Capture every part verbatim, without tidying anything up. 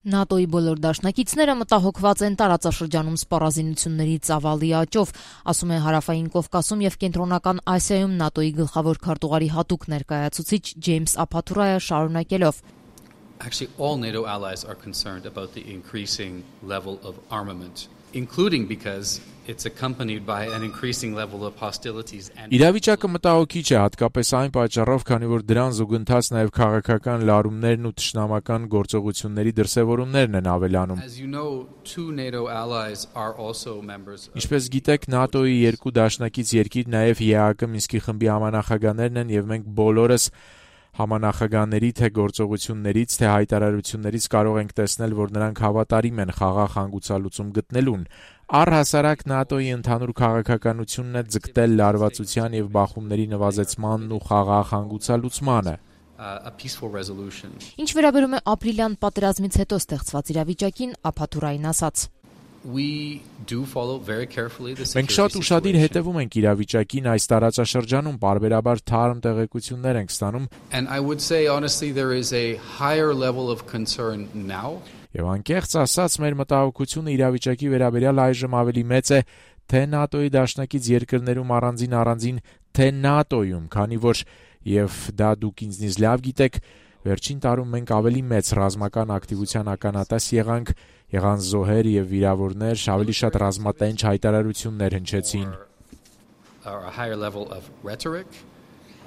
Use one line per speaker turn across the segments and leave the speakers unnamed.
ՆԱՏՕ-ի բոլոր դաշնակիցները մտահոգված են տարածաշրջանում սպառազինությունների ծավալի աճով, ասում է Հարավային Կովկասում եւ Կենտրոնական Ասիայում ՆԱՏՕ-ի գլխավոր քարտուղարի հատուկ ներկայացուցիչ Ջեյմս Ափաթուրայը շարունակելով.
Actually, all NATO allies are concerned about the increasing level of armament, including because it's accompanied by an increasing level of hostilities and
Իրավիճակը մտահոգիչ է, հատկապես այն պատճառով, քանի որ դրան զուգընթաց նաև քաղաքական լարումներն ու թշնամական գործողությունների դրսևորումներն են ավելանում։
As you know, two NATO allies are also members of
Ինչպես գիտեք, ՆԱՏՕ-ի երկու դաշնակից երկիր նաև ԵԱՀԿ Մինսկի խմբի համանախագահներն են եւ մենք բոլորս Համանախագահների թե գործողություններից, թե հայտարարություններից կարող ենք տեսնել, որ նրանք հավատարիմ են խաղաղ հանգուցալուծում գտնելուն։ Առհասարակ ՆԱՏՕ-ի ընդհանուր քաղաքականությունն է ձգտել լարվածության եւ բախումների նվազեցմանն ու խաղաղ հանգուցալուծմանը։
a peaceful resolution.
Ինչ վերաբերում է ապրիլյան պատերազմից հետո ստեղծված իրավիճակին, Ափաթուրային ասաց.
We do follow very carefully the
Մենք շատ ուշադիր հետևում ենք իրավիճակին այս տարածաշրջանում, բարբերաբար թարմ տեղեկություններ ենք ստանում։
And I would say honestly there is a higher level of concern now.
Եվ անկեղծ ասած, մեր մտահոգությունը իրավիճակի վերաբերյալ այժմ ավելի մեծ է թե ՆԱՏՕ-ի դաշնակից երկրներում առանձին առանձին, թե ՆԱՏՕ-ում, քանի որ եւ դա դուք ինձնից լավ գիտեք, վերջին տարում մենք ավելի մեծ ռազմական ակտիվության ականատես եղանք, եղան զոհեր եւ վիրավորներ, ավելի շատ ռազմատենչ հայտարարություններ հնչեցին։
Or a higher level of rhetoric,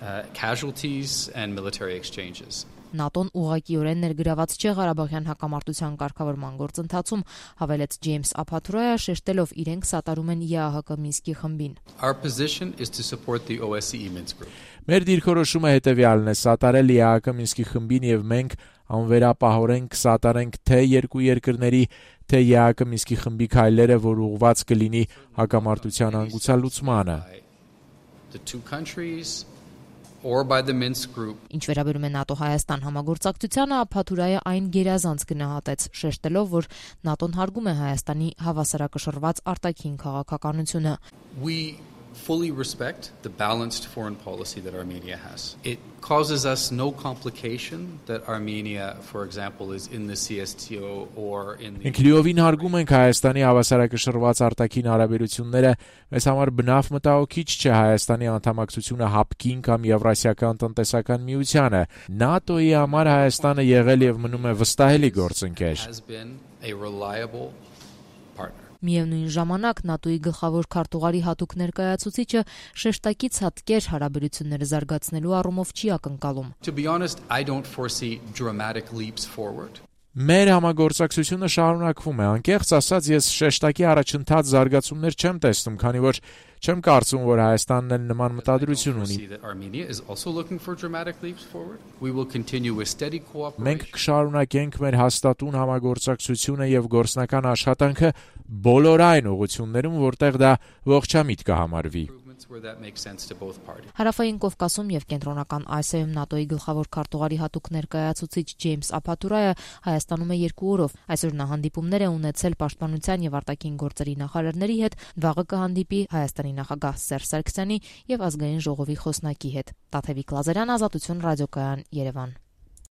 uh, casualties and military exchanges.
ՆԱՏՕ-ն ուղղակիորեն ներգրաված չէ Ղարաբաղյան հակամարտության կարգավորման գործընթացում, հավելեց Ջեյմս Ափաթուրայը, շեշտելով իրենք սատարում են ԵԱՀԿ Մինսկի խմբին։
Our position is to support the O S C E Minsk group.
Մեր դիրքորոշումը հետևյալն է՝ սատարել ԵԱՀԿ Մինսկի խմբին եւ մենք անվերապահորեն կսատարենք թե երկու երկրների, թե ԵԱՀԿ Մինսկի խմբի քայլերը, որ ուղղված կլինի հակամարտության հանգուցալուծմանը։
The two countries or by the Minsk group.
Ինչ վերաբերում է ՆԱՏՕ-Հայաստան համագործակցությանը, Ափաթուրայը այն գերազանց գնահատեց, շեշտելով, որ ՆԱՏՕ-ն հարգում է Հայաստանի հավասարակշռված արտաքին քաղաքականությունը։
We fully respect the balanced foreign policy that Armenia has. It causes us no complication that Armenia, for example, is in the C S T O or in the
Մենք լիովին հարգում ենք Հայաստանի հավասարակշռված արտաքին հարաբերությունները, մեզ համար բնավ մտահոգիչ չէ Հայաստանի անդամակցությունը ՀԱՊԿ-ին կամ Եվրասիական տնտեսական միությանը։ ՆԱՏՕ-ի համար Հայաստանը եղել եւ մնում է վստահելի գործընկեր։
has been a reliable partner.
Միևնույն ժամանակ ՆԱՏՕ-ի գլխավոր քարտուղարի հատուկ ներկայացուցիչը շեշտակից հատկեր հարաբերությունները զարգացնելու առումով չի ակնկալում։
To be honest, I don't foresee dramatic leaps forward.
Մեր համագործակցությունը շարունակվում է, անկեղծ ասած ես շեշտակի առաջընթաց զարգացումներ չեմ տեսնում, քանի որ չեմ կարծում, որ Հայաստանն էլ նման մտադրություն ունի։
See that Armenia is also looking for dramatic leaps forward. We will continue with steady cooperation.
Մենք կշարունակենք մեր հաստատուն համագործակցությունը եւ գործնական աշխատանքը բոլոր այն ուղղություններում, որտեղ դա ողջամիտ կհամարվի։
Where that makes sense to both parties.
Հարավային Կովկասում եւ Կենտրոնական Ասիայում ՆԱՏՕ-ի գլխավոր քարտուղարի հատուկ ներկայացուցիչ Ջեյմս Ափաթուրայը Հայաստանում է երկու օրով։ Այսօր նա հանդիպումներ է ունեցել Պաշտպանության եւ արտաքին գործերի նախարարների հետ, վաղը կհանդիպի Հայաստանի նախագահ Սերժ Սարգսյանի եւ ազգային ժողովի խոսնակի հետ։ Տաթևիկ Լազարյան, Ազատություն ռադիոկայան, Երևան։